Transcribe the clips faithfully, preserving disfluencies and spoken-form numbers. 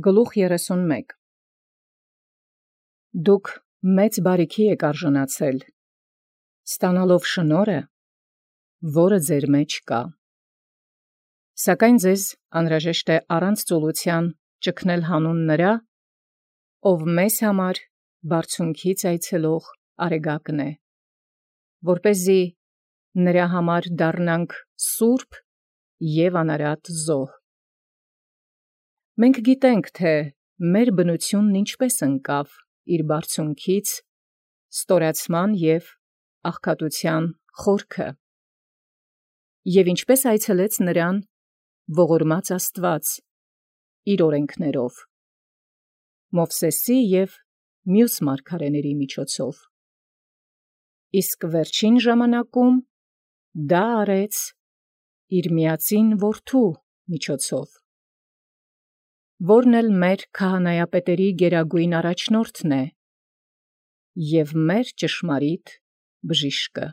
Գլուխ երեսունմեկ. Դուք մեծ բարիքի եք արժանացել, ստանալով շնորհը, որը ձեր մեջ կա. սակայն ձեզ անհրաժեշտ է առանց ծուլության ճգնել հանուն նրա, ով մեզ համար բարձունքից այցելող արեգակն է, որպեսզի նրա համար դառնանք սուրբ և անարատ զոհ։ Մենք գիտենք, թե մեր բնությունն ինչպես ընկավ իր բարձունքից, ստորացման և աղքատության խորքը, և ինչպես այցելեց նրան ողորմած Աստված իր օրենքներով, Մովսեսի և մյուս մարգարեների միջոցով, իսկ վերջին ժամանակում դա արեց իր միածին որդու միջոցով, որն էլ մեր քահանայապետերի գերագույն առաջնորդն է և մեր ճշմարիտ բժիշկը,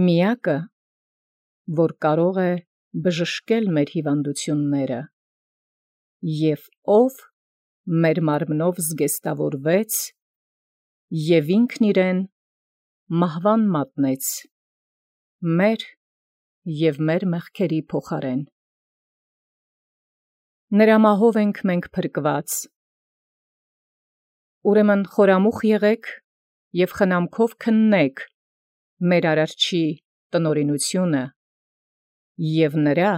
միակը, որ կարող է բժշկել մեր հիվանդությունները, և ով մեր մարմնով զգեստավորվեց և ինքն իրեն մահվան մատնեց մեր և մեր մեղքերի փոխարեն։ Նրա մահով ենք մենք փրկված։ Ուրեմն խորամուխ եղեք և խնամքով քննեք մեր Արարչի տնօրինությունը և նրա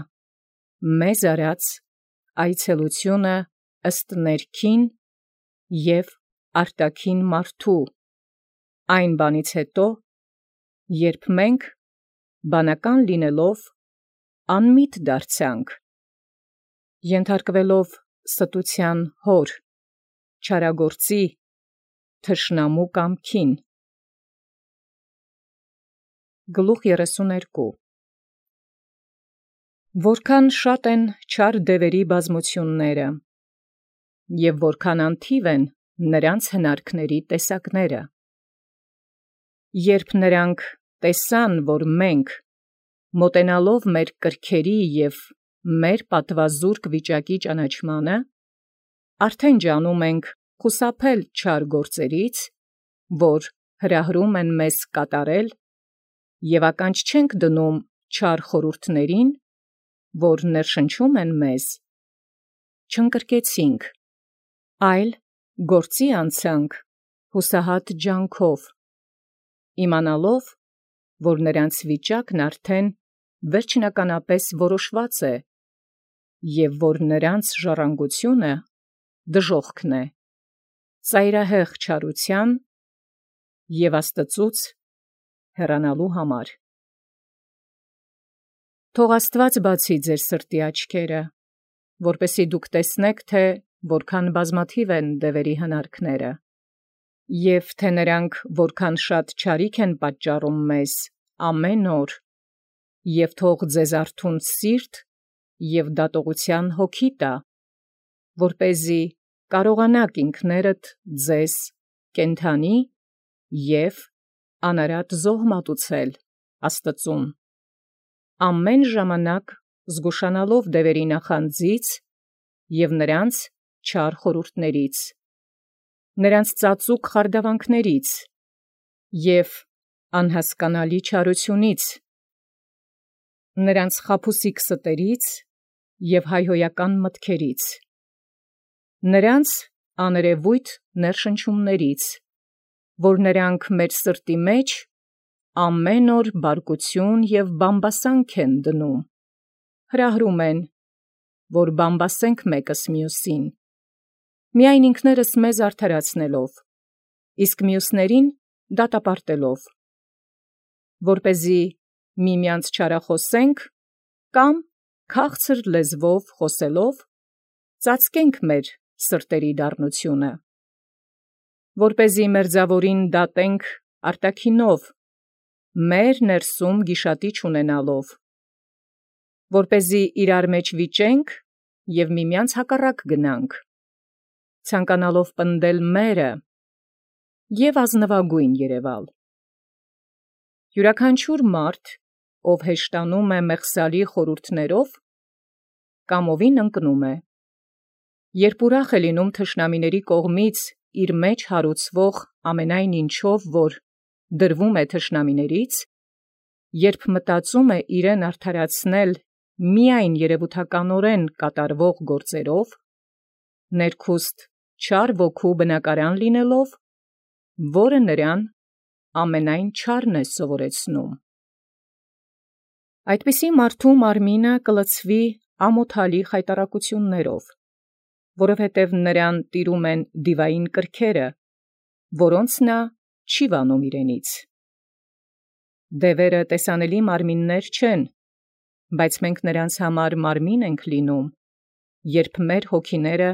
մեզ արած այցելությունը ըստ ներքին և արտաքին մարդու, այն բանից հետո, երբ մենք բանական լինելով անմիտ դարձանք, ենթարկվելով ստության հոր, չարագործի, թշնամու կամքին։ Գլուխ երեսուներկու. Որքան շատ են չար դևերի բազմությունները, և որքան անթիվ են նրանց հնարքների տեսակները։ Երբ նրանք տեսան, որ մենք, մոտենալով մեր կրքերի և մեր պատվազուրկ վիճակի ճանաչմանը, արդեն ջանում ենք խուսափել չար գործերից, որ հրահրում են մեզ կատարել, և ականջ չենք դնում չար խորհուրդներին, որ ներշնչում են մեզ, չընկրկեցինք, այլ գործի անցանք հուսահատ ջանքով, իմանալով, որ նրանց վիճակն արդեն վերջնականապես որոշված է, և որ նրանց ժառանգությունը դժոխքն է, ծայրահեղ չարության և Աստծուց հեռանալու համար։ Թող Աստված բացի ձեր սրտի աչքերը, որպեսզի դուք տեսնեք, թե որքան բազմաթիվ են դևերի հնարքները, և թե նրանք որքան շատ չարիք են պատճառում մեզ ամեն օր, և թող ձեզ արթուն սիրտ և դատողության հոգի տա, որպեսզի կարողանաք ինքներդ ձեզ կենդանի և անարատ զոհ մատուցել Աստծուն, ամեն ժամանակ զգուշանալով դևերի նախանձից և նրանց չար խորհուրդներից, նրանց ծածուկ խարդավանքներից և անհասկանալի չարությունից, նրանց խաբուսիկ ստերից և հայհոյական մտքերից, նրանց աներևույթ ներշնչումներից, որ նրանք մեր սրտի մեջ ամեն օր բարկություն և բամբասանք են դնում, հրահրում են, որ բամբասենք մեկս մյուսին, միայն ինքներս մեզ արդարացնելով, իսկ մյուսներին դատապարտելով, որպեսզի միմյանց չարախոսենք կամ քաղցր լեզվով խոսելով ծածկենք մեր սրտերի դառնությունը, որպեսզի մերձավորին դատենք արտաքինով, մեր ներսում գիշատիչ ունենալով, որպեսզի իրար մեջ վիճենք և միմյանց հակառակ գնանք, ցանկանալով պնդել մերը և ազնվագույն երևալ։ Յուրաքանչյուր մարդ, ով հեշտանում է մեղսալի խորհուրդներով, կամովին ընկնում է, Երբ ուրախ է լինում թշնամիների կողմից իր մեջ հարուցվող ամենայն ինչով, որ դրվում է թշնամիներից, երբ մտածում է իրեն արդարացնել միայն երևութականորեն կատարվող գործերով, ներքուստ չար ոգու բնակարան լինելով, որը նրան ամենայն չարն է սովորեցնում։ Այդպիսի մարդու մարմինը կլցվի ամոթալի խայտառակություններով, որովհետև նրան տիրում են դիվային կրքերը, որոնց նա չի վանում իրենից։ Դևերը տեսանելի մարմիններ չեն, բայց մենք նրանց համար մարմին ենք լինում, երբ մեր հոգիները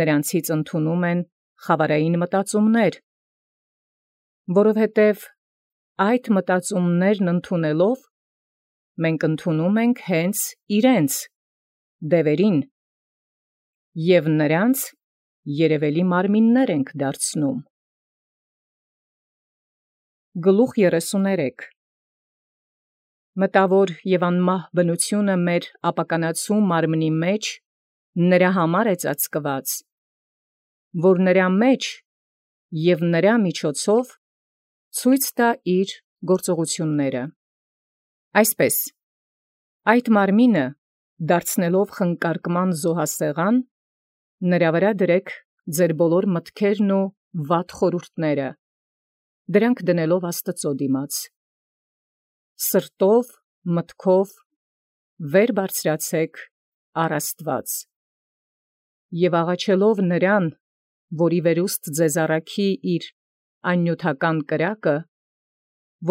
նրանցից ընդունում են խավարային մտածումներ, որովհետև այդ մտածումներն ընդունելով, մենք ընդունում ենք հենց իրենց, դևերին, և նրանց երևելի մարմիններ ենք դարձնում։ Գլուխ երեսուներեք Մտավոր և անմահ բնությունը մեր ապականացու մարմնի մեջ նրա համար է ծածկված, որ նրա մեջ և նրա միջոցով ցույց տա իր գործողությունները։ Այսպես, այդ մարմինը դարձնելով խնկարկման զոհասեղան, նրա վրա դրեք ձեր բոլոր մտքերն ու վատ խորհուրդները, դրանք դնելով Աստծո դիմաց։ Սրտով, մտքով վեր բարձրացեք առ Աստված և աղաչելով նրան, որի վերուստ ձեզ առաքի իր աննյութական կրակը,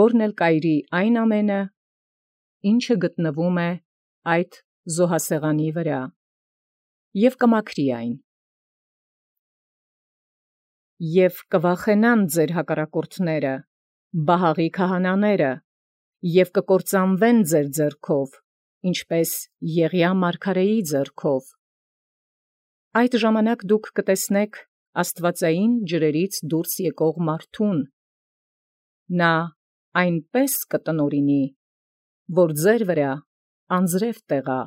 որն էլ կայրի այն ամենը, ինչը գտնվում է այդ զոհասեղանի վրա, և կմաքրի այն։ Եվ կվախենան ձեր հակառակորդները, բահաղի քահանաները, և կկործանվեն ձեր ձեռքով, ինչպես Եղիա մարգարեի ձեռքով։ Այդ ժամանակ դուք կտեսնեք աստվածային ջրերից դուրս եկող մարդուն. նա այնպես կտնօրինի, որ ձեր վրա անձրև տեղա,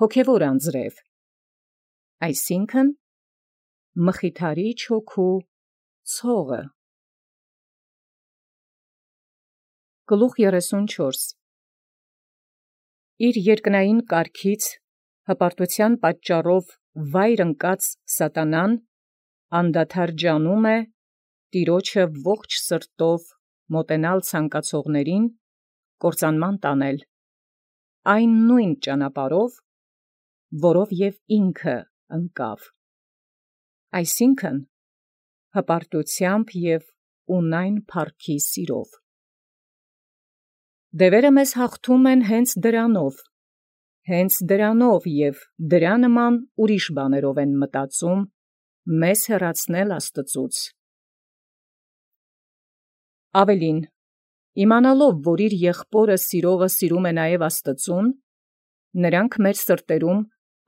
հոգևոր անձրև, այսինքն մխիթարիչ հոգու ցողը։ Գլուխ երեսունչորս Իր երկնային կարգից հպարտության պատճառով վայր ընկած սատանան անդադար ջանում է Տիրոջը ողջ սրտով մոտենալ ցանկացողներին կործանման տանել, այն նույն ճանապարհով, որով և ինքը ընկավ, այսինքն հպարտությամբ և ունայն փառքի սիրով։ Դևերը մեզ հաղթում են հենց դրանով, հենց դրանով և դրա նման ուրիշ բաներով են մտածում մեզ հեռացնել Աստծուց։ Ավելին, իմանալով, որ իր եղբորը սիրողը սիրում է նաև Աստծուն, նրանք մեր սրտերում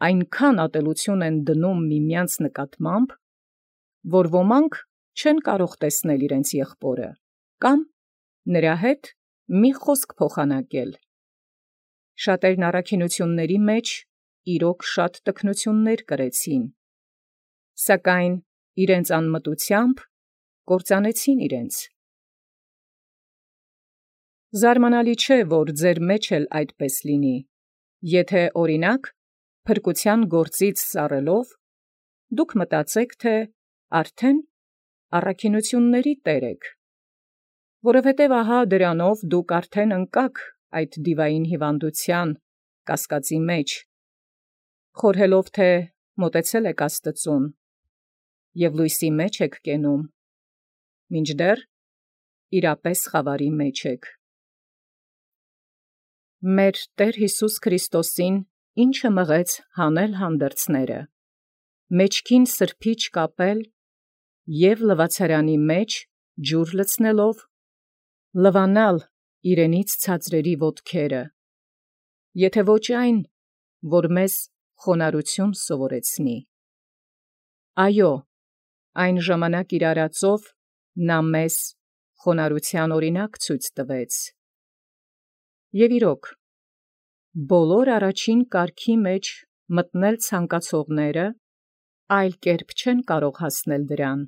այնքան ատելություն են դնում միմյանց նկատմամբ, որ ոմանք չեն կարող տեսնել իրենց եղբորը, կամ նրա հետ մի խոսք փոխանակել։ Շատերն առաքինությունների մեջ իրոք շատ տքնություններ կրեցին, սակայն իրենց անմտությամբ կործանեցին իրենց։ Զարմանալի չէ, որ ձեր մեջ էլ այդպես լինի, եթե օրինակ փրկության գործից սառելով դուք մտածեք, թե արդեն առաքինությունների տեր եք, որովհետև ահա դրանով դուք արդեն ընկաք այդ դիվային հիվանդության կասկածի մեջ, խորհելով, թե մոտեցել եք Աստծուն և լույսի մեջ եք կենում, մինչդեռ իրապես խավարի մեջ եք։ Մեր Տեր Յիսուս Քրիստոսին ինչը մղեց հանել հանդերձները, մեջքին սրբիչ կապել և լվացարանի մեջ ջուր լցնելով, լվանալ իրենից ցածրերի ոտքերը, եթե ոչ այն, որ մեզ խոնարհություն սովորեցնի։ Այո, այն ժամանակ իր արածով նա մեզ խոնարհության օրինակ ցույց տվեց։ Եվ իրոք, բոլոր առաջին կարգի մեջ մտնել ցանկացողները այլ կերպ չեն կարող հասնել դրան,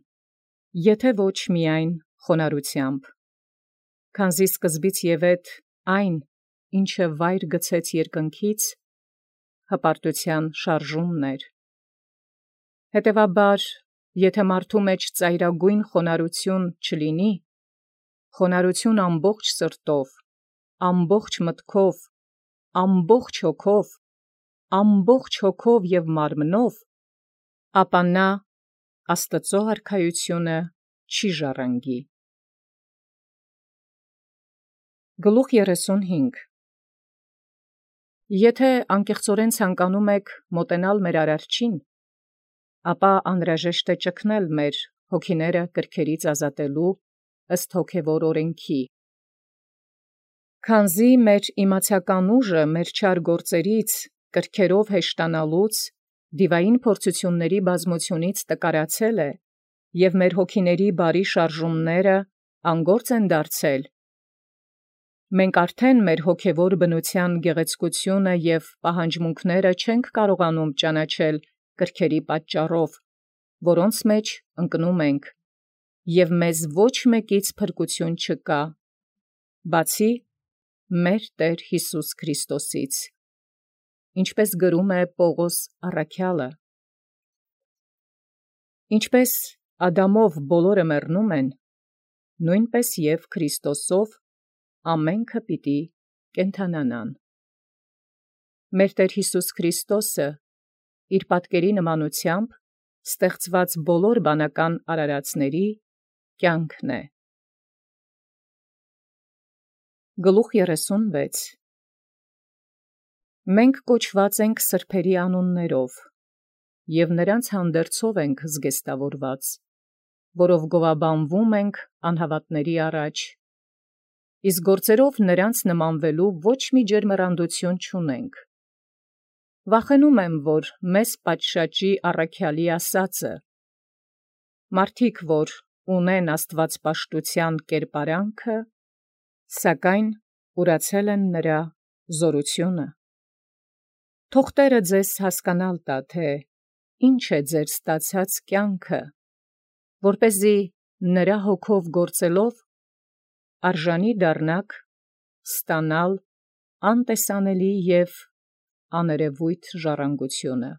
եթե ոչ միայն խոնարհությամբ, քանզի սկզբից եւ էդ այն, ինչը վայր գցեց երկնքից, հպարտության շարժումն էր։ Հետևաբար, եթե մարդու մեջ ծայրագույն խոնարհություն չլինի, խոնարհություն ամբողջ սրտով, ամբողջ մտքով, ամբողջ հոգով, ամբողջ հոգով եւ մարմնով, ապա նա Աստծո արքայությունը չի ժառանգի։ Գլուխ երեսունհինգ Եթե անկեղծորեն ցանկանում եք մոտենալ մեր Արարչին, ապա անհրաժեշտ է ճգնել մեր հոգիները կրքերից ազատելու ըստ հոգևոր օրենքի։ Քանզի մեր իմացական ուժը մեր չար գործերից կրքերով հեշտանալուց, դիվային փորձությունների բազմությունից տկարացել է, և մեր հոգիների բարի շարժումները անգործ են դարձել, մենք արդեն մեր հոգևոր բնության գեղեցկությունը և պահանջմունքները չենք կարողանում ճանաչել կրքերի պատճառով, որոնց մեջ ընկնում ենք, և մեզ ոչ մեկից փրկություն չկա, բացի մեր Տեր Հիսուս Քրիստոսից, ինչպես գրում է Պողոս առաքյալը. Ինչպես Ադամով բոլորը մեռնում են, նույնպես և Քրիստոսով ամենքը պիտի կենդանանան։ Մեր Տեր Հիսուս Քրիստոսը իր պատկերի նմանությամբ ստեղծված բոլոր բանական արարածների կյանքն է։ Գլուխ երեսունվեց Մենք կոչված ենք սրբերի անուններով, և նրանց հանդերձով ենք զգեստավորված, որով գովաբանվում ենք անհավատների առաջ, իսկ գործերով նրանց նմանվելու ոչ մի ջերմեռանդություն չունենք։ Վախենում եմ, որ մեզ պատշաճի առաքյալի ասածը. մարդիկ, որ ունեն աստվածպաշտության կերպարանքը, սակայն ուրացել են նրա զորությունը։ Թող Տերը ձեզ հասկանալ տա, թե ինչ է ձեր ստացած կյանքը, որպեսզի նրա հոգով գործելով արժանի դառնաք ստանալ անտեսանելի և աներևույթ ժառանգությունը։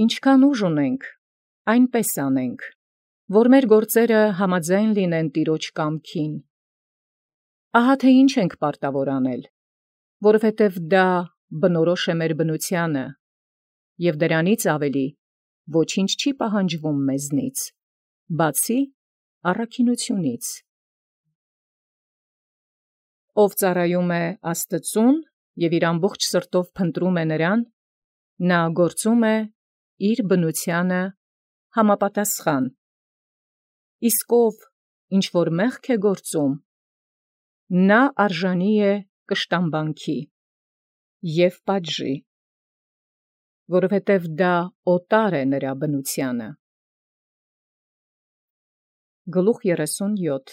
Ինչքան ուժ ունենք, այնպես անենք, որ մեր գործերը համաձայն լինեն Տիրոջ կամքին։ Ահա թե ինչ ենք պարտավոր անել, որովհետև դա բնորոշ է մեր բնությանը, և դրանից ավելի ոչինչ չի պահանջվում մեզնից, բացի առաքինությունից։ Ով ծառայում է Աստծուն և իր ամբողջ սրտով փնտրում է նրան, նա գործում է իր բնությանը համապատասխան, իսկ ով ինչ որ մեղք է գործում, նա արժանի է կշտամբանքի և պատժի, որովհետև դա օտար է նրա բնությանը։ Գլուխ երեսունյոթ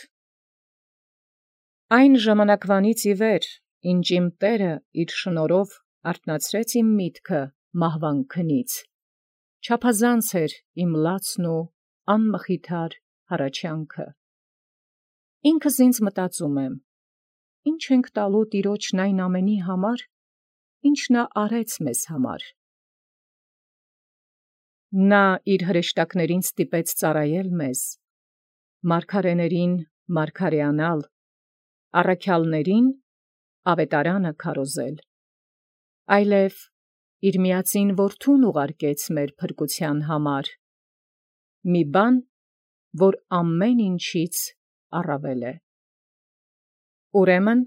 Այն ժամանակվանից ի վեր, ինչ իմ Տերը իր շնորհով արթնացրեց իմ միտքը մահվան քնից, չափազանց էր իմ լացն ու անմխիթար հառաչանքը։ Ինքս ինձ մտածում եմ. ինչ ենք տալու Տիրոջն այն ամենի համար, ինչ նա արեց մեզ համար։ Նա իր հրեշտակներին ստիպեց ծառայել մեզ, մարգարեներին մարգարեանալ, առաքյալներին ավետարանը քարոզել, այլև իր միածին որդուն ուղարկեց մեր փրկության համար, մի բան, որ ամեն ինչից առավել է։ Ուրեմն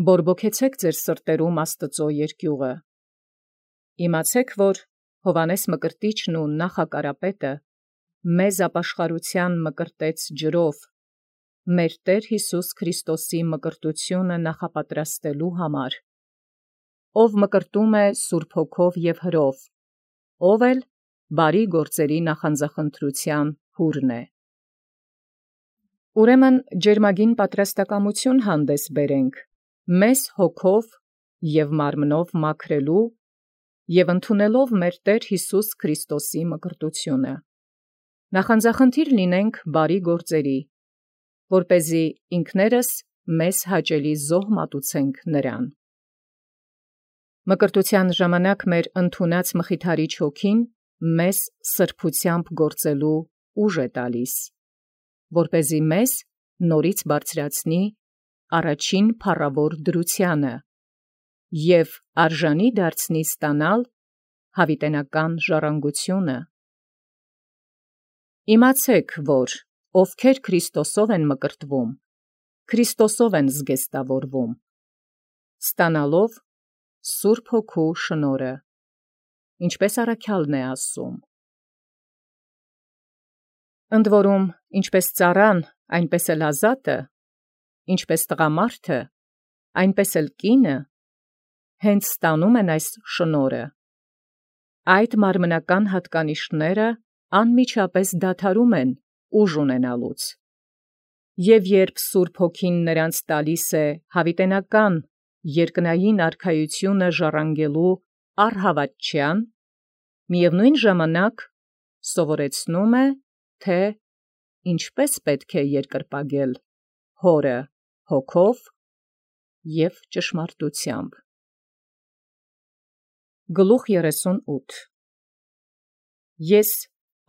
բորբոքեցեք ձեր սրտերում Աստծո երկյուղը։ Իմացեք, որ Հովհաննես Մկրտիչն ու Նախակարապետը մեզ ապաշխարության մկրտեց ջրով, մեր Տեր Հիսուս Քրիստոսի մկրտությունը նախապատրաստելու համար, ով մկրտում է Սուրբ Հոգով և հրով, ով էլ բարի գործերի նախանձախնդրության հուրն է։ Ուրեմն ջերմագին պատրաստակամություն հանդես բերենք, մեզ հոգով և մարմնով մաքրելու և ընդունելով մեր Տեր Յիսուս Քրիստոսի մկրտությունը։ Նախանձախնդիր լինենք բարի գործերի, որպեսզի ինքներս մեզ հաճելի զոհ մատուցենք նրան։ Մկրտության ժամանակ մեր ընդունած Մխիթարիչ Հոգին մեզ սրբությամբ գործելու ուժ է տալիս, որպեսզի մեզ նորից բարձրացնի առաջին փառավոր դրությանը և արժանի դարձնի ստանալ հավիտենական ժառանգությունը։ Իմացեք, որ ովքեր Քրիստոսով են մկրտվում, Քրիստոսով են զգեստավորվում, ստանալով Սուրբ Հոգու շնորհը, ինչպես առաքյալն է ասում. ընդ որում, ինչպես ծառան, այնպես էլ ազատը, ինչպես տղամարդը, այնպես էլ կինը, հենց ստանում են այս շնորհը, այդ մարմնական հատկանիշները անմիջապես դադարում են ուժ ունենալուց, և երբ Սուրբ Հոգին նրանց տալիս է հավիտենական երկնային արքայությունը ժառանգելու առհավատչյան, միևնույն ժամանակ սովորեցնում է, թե ինչպես պետք է երկրպագել Հորը Հոգով և ճշմարտությամբ։ Գլուխ երեսունութ Ես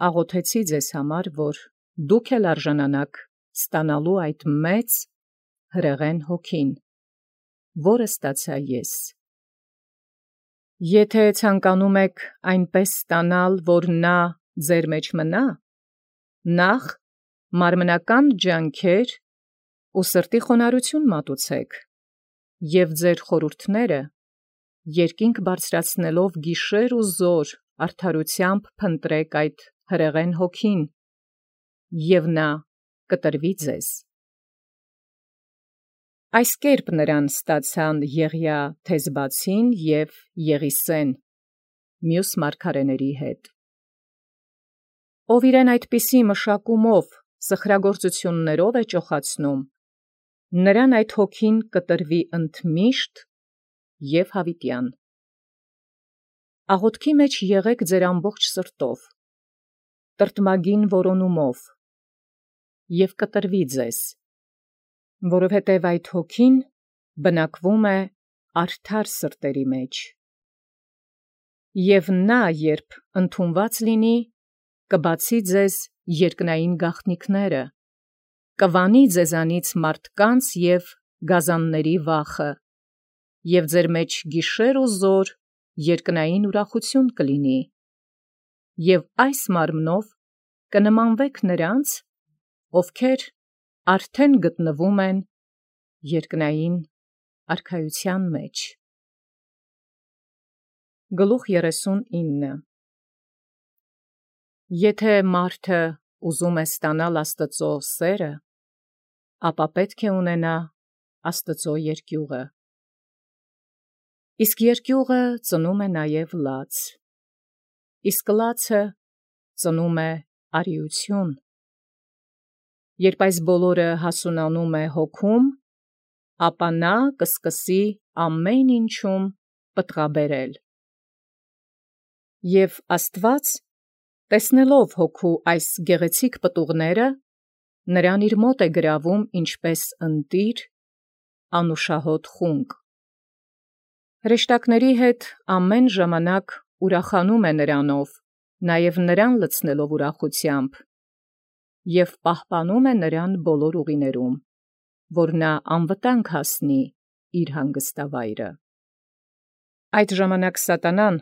աղոթեցի ձեզ համար, որ դուք էլ արժանանաք ստանալու այդ մեծ հրեղեն Հոգին, որը ստացա ես։ Եթե ցանկանում եք այնպես ստանալ, որ նա ձեր մեջ մնա, նախ մարմնական ջանքեր ու սրտի խոնարհություն մատուցեք, և ձեր խորհուրդները երկինք բարձրացնելով գիշեր ու զօր արդարութեամբ փնտրեք այդ հրեղեն Հոգին, և նա կտրվի ձեզ։ Այս կերպ նրան ստացան Եղիա Թեզբացին և Եղիսեն մյուս մարգարեների հետ։ Ով իրեն այդպիսի մշակումով սխրագործություններով է ճոխացնում, նրան այդ Հոգին կտրվի ընդմիշտ և հավիտյան։ Աղոթքի մեջ եղեք ձեր ամբողջ սրտով, տրտմագին որոնումով, և կտրվի ձեզ, որովհետև այդ Հոգին բնակվում է արդար սրտերի մեջ։ Եվ նա, երբ ընդունված լինի, կբացի ձեզ երկնային գաղտնիքները, կվանի ձեզանից մարդկանց և գազանների վախը, և ձեր մեջ գիշեր ու զօր երկնային ուրախություն կլինի, և այս մարմնով կնմանվեք նրանց, ովքեր արդեն գտնվում են երկնային արքայության մեջ։ Գլուխ երեսունինը Եթե մարդը ուզում է ստանալ Աստծո սերը, ապա պետք է ունենա Աստծո երկյուղը, իսկ երկյուղը ծնում է նաև լաց, իսկ լացը ծնում է արիություն։ Երբ այս բոլորը հասունանում է հոգում, ապա նա կսկսի ամեն ինչում պտղաբերել։ Եվ Աստված, տեսնելով հոգու այս գեղեցիկ պտուղները, նրան իր մոտ է գրավում ինչպես ընտիր, անուշահոտ խունկ։ Հրեշտակների հետ ամեն ժամանակ ուրախանում է նրանով, նաև նրան լցնելով ուրախությամբ, և պահպանում է նրան բոլոր ուղիներում, որ նա անվտանգ հասնի իր հանգստավայրը։ Այդ ժամանակ սատանան,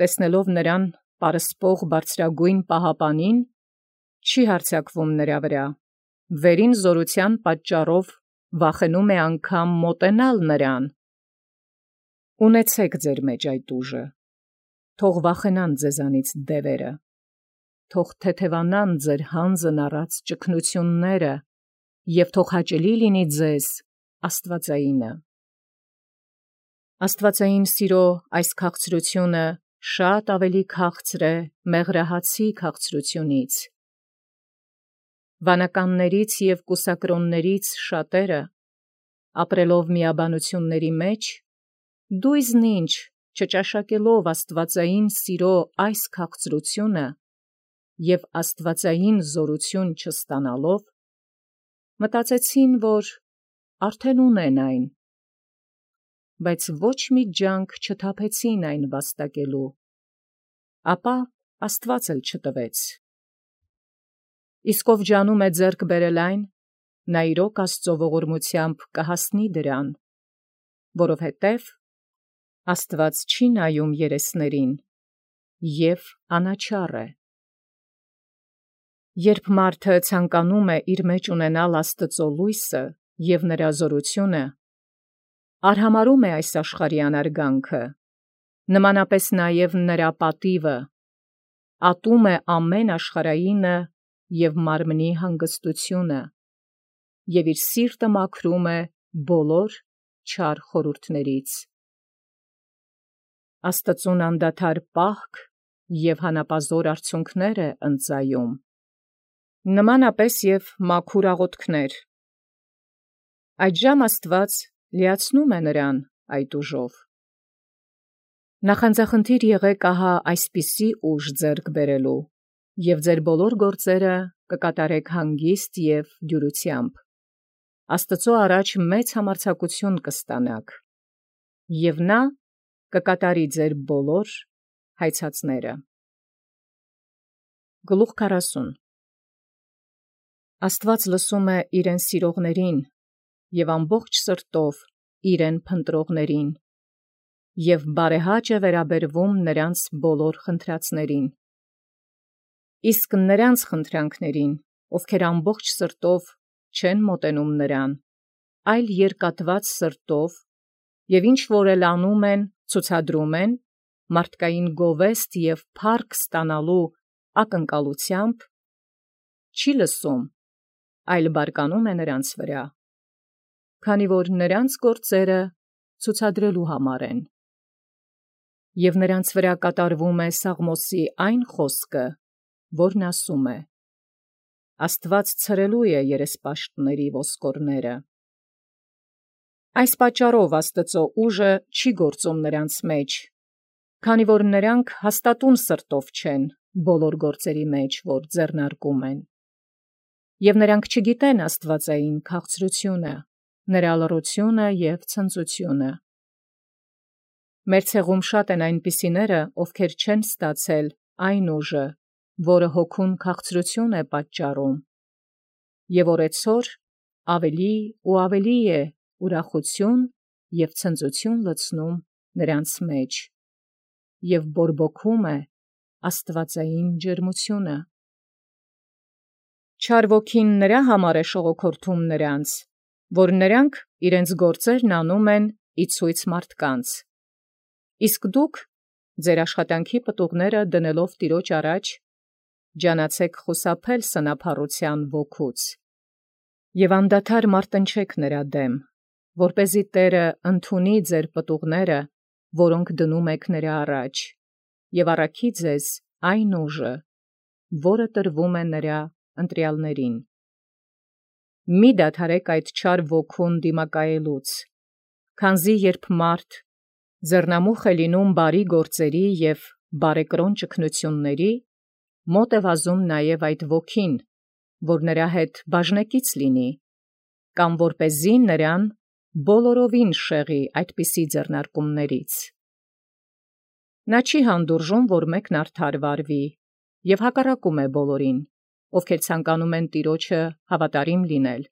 տեսնելով նրան պարսպող բարձրագույն պահապանին, չի հարձակվում նրա վրա, վերին զորության պատճառով վախենում է անգամ մոտենալ նրան։ Ունեցեք ձեր մեջ այդ ուժը, թող վախենան ձեզանից դևերը, թող թեթևանան ձեր հանձն առած ճգնությունները, և թող հաճելի լինի ձեզ աստվածայինը։ Աստվածային սիրո այս քաղցրությունը շատ ավելի քաղցր է մեղրահացի քաղցրությունից։ Վանականներից և կուսակրոններից շատերը, ապրելով միաբանությունների մեջ, դույզն ինչ չճաշակելով աստվածային սիրո այս քաղցրությունը և աստվածային զորություն չստանալով, մտածեցին, որ արդեն ունեն այն, բայց ոչ մի ջանք չթափեցին այն վաստակելու, ապա Աստված էլ չտվեց։ Իսկ ով ջանում է ձեռք բերել այն, նա իրոք Աստծո ողորմությամբ կհասնի դրան, որովհետև Աստված չի նայում երեսներին և անաչառ է։ Երբ մարդը ցանկանում է իր մեջ ունենալ Աստծո լույսը և նրա զորությունը, արհամարհում է այս աշխարհի անարգանքը, նմանապես նաև նրա պատիվը, ատում է ամեն աշխարհայինը և մարմնի հանգստությունը, և իր սիրտը մաքրում է բոլոր չար խորհուրդներից։ Աստծուն անդադար պահք և հանապազոր արցունքներ է ընծայում, նմանապես և մաքուր աղոթքներ։ Այդժամ Աստված լիացնում է նրան այդ ուժով։ Նախանձախնդիր եղեք ահա այսպիսի ուժ ձեռք բերելու, և ձեր բոլոր գործերը կկատարեք հանգիստ և դյուրությամբ, Աստծո առաջ մեծ համարձակություն կստանաք, և նա կկատարի ձեր բոլոր հայցածները։ Գլուխ քառասուն Աստված լսում է իրեն սիրողներին և ամբողջ սրտով իրեն փնտրողներին, և բարեհաճ է վերաբերվում նրանց բոլոր խնդրածներին։ Իսկ նրանց խնդրանքներին, ովքեր ամբողջ սրտով չեն մոտենում նրան, այլ երկատված սրտով, և ինչ որ էլ անում են, ցուցադրում են մարդկային գովեստ և փառք ստանալու ակնկալությամբ, չի լսում, այլ բարկանում է նրանց վրա, քանի որ նրանց գործերը ցուցադրելու համար են։ Եվ նրանց վրա կատարվում է Սաղմոսի այն խոսքը, որն ասում է. «Աստված ցրելու է երեսպաշտների ոսկորները»։ Այս պատճառով Աստծո ուժը չի գործում նրանց մեջ, քանի որ նրանք հաստատուն սրտով չեն բոլոր գործերի մեջ, որ ձեռնարկում են, և նրանք չգիտեն աստվածային քաղցրությունը, նրա լռությունը և ցնծությունը։ Մեր ցեղում շատ են այնպիսիները, ովքեր չեն ստացել այն ուժը, որը հոգուն քաղցրություն է պատճառում, և օրեցօր ավելի ու ավելի է ուրախություն և ցնծություն լցնում նրանց մեջ, և բորբոքում է աստվածային ջերմությունը։ Չար ոգին նրա համար է շողոքորթում նրանց, որ նրանք իրենց գործերն անում են ի ցույց մարդկանց, իսկ դուք ձեր աշխատանքի պտուղները դնելով Տիրոջ առաջ, ջանացեք խուսափել սնափառության ոգուց, և անդադար մարտնչեք նրա դեմ, որպեսզի Տերը ընդունի ձեր պտուղները, որոնք դնում եք նրա առաջ, և առաքի ձեզ այն ուժը, որը տրվում է նրա ընտրյալներին։ Մի դադարեք այդ չար ոգուն դիմակայելուց, քանզի երբ մարդ ձեռնամուխ է լինում բարի գործերի և բարեկրոն ճգնությունների, մոտ է վազում նաև այդ ոգին, որ նրա հետ բաժնեկից լինի, կամ որպեսզի նրան բոլորովին շեղի այդպիսի ձեռնարկումներից։ Նա չի հանդուրժում, որ մեկն արդար վարվի, և հակառակում է բոլորին, ովքեր ցանկանում են Տիրոջը հավատարիմ լինել։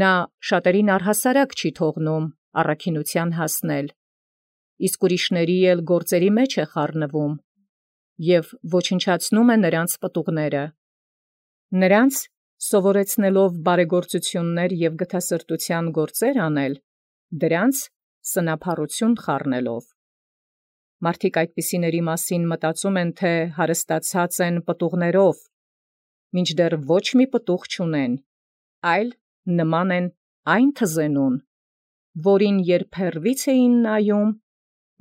Նա շատերին առհասարակ չի թողնում առաքինության հասնել, իսկ ուրիշների էլ գործերի մեջ է խառնվում և ոչնչացնում է նրանց պտուղները, նրանց սովորեցնելով բարեգործություններ և գթասրտության գործեր անել, դրանց սնափառություն խառնելով։ Մարդիկ այդպիսիների մասին մտածում են, թե հարստացած են պտուղներով, մինչդեռ ոչ մի պտուղ չունեն, այլ նման են այն թզենուն, որին երբ հեռվից էին նայում,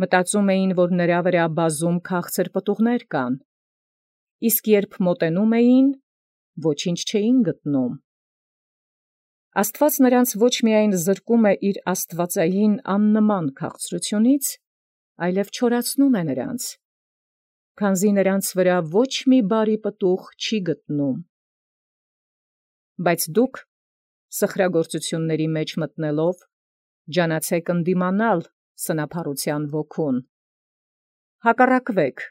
մտածում էին, որ նրա վրա բազում քաղցր պտուղներ կան, իսկ երբ մոտենում էին, ոչինչ չէին գտնում։ Աստված նրանց ոչ միայն զրկում է իր աստվածային աննման քաղցրությունից, այլև չորացնում է նրանց, քանզի նրանց վրա ոչ մի բարի պտուղ չի գտնում։ Բայց դուք, սխրագործությունների մեջ մտնելով, ջանացեք ընդդիմանալ սնափառության ոգուն, հակառակվեք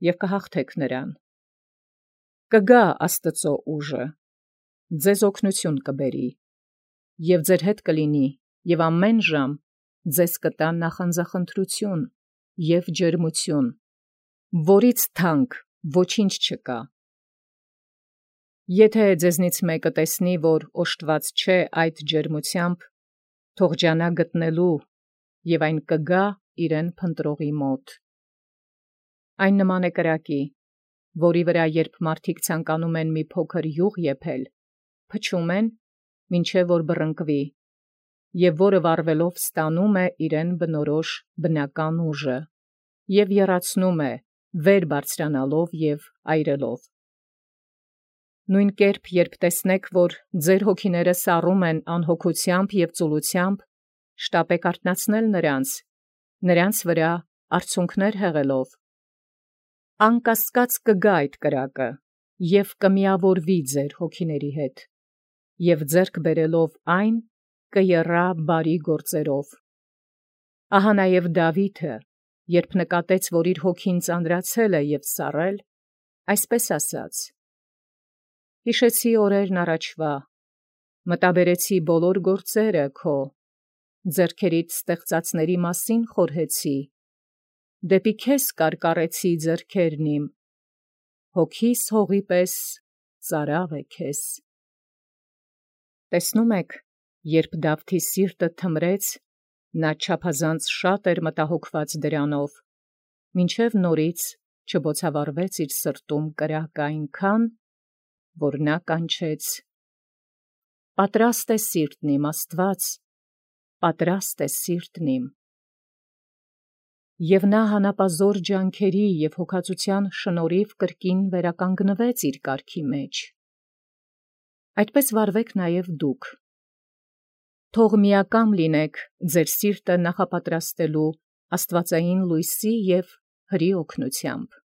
և կհաղթեք նրան։ Կգա Աստծո ուժը, ձեզ օգնություն կբերի, և ձեր հետ կլինի, և ամեն ժամ ձեզ կտա նախանձախնդրություն և ջերմություն, որից թանկ ոչինչ չկա։ Եթե ձեզնից մեկը տեսնի, որ օժտված չէ այդ ջերմությամբ, թող ջանա գտնելու, և այն կգա իրեն փնտրողի մոտ։ Այն նման է կրակի, որի վրա երբ մարդիկ ցանկանում են մի փոքր յուղ եփել, փչում են, մինչև որ բռնկվի, և որը վառվելով ստանում է իրեն բնորոշ բնական ուժը, և եռացնում է, վեր բարձրանալով և այրելով։ Նույն կերպ, երբ տեսնեք, որ ձեր հոգիները սառում են անհոգությամբ և ծուլությամբ, շտապեք արթնացնել նրանց, նրանց վրա արցունքներ հեղելով։ Անկասկած կգա այդ կրակը, և կմիավորվի ձեր հոգիների հետ, և ձեռք բերելով այն, կեռա բարի գործերով։ Ահա նաև Դավիթը, երբ նկատեց, որ իր հոգին ծանրացել է և սառել, այսպես ասաց. «Հիշեցի օրերն առաջվա, մտաբերեցի բոլոր գործերը քո, ձեռքերիդ ստեղծածների մասին խորհեցի, դեպի քեզ կարկառեցի ձեռքերն իմ, հոգիս հողի պես ծարավ է քեզ»։ Տեսնում եք, երբ Դավթի սիրտը թմրեց, նա չափազանց շատ էր մտահոգված դրանով, մինչև նորից չբոցավառվեց իր սրտում կրակը այնքան, որ նա կանչեց. «Պատրաստ է սիրտն իմ, Աստված, պատրաստ է սիրտն իմ»։ Եվ նա հանապազոր ջանքերի և հոգածության շնորհիվ կրկին վերականգնվեց իր կարգի մեջ։ Այդպես վարվեք նաև դուք։ Թող միակամ լինեք ձեր սիրտը նախապատրաստելու աստվածային լույսի և հրի օգնությամբ։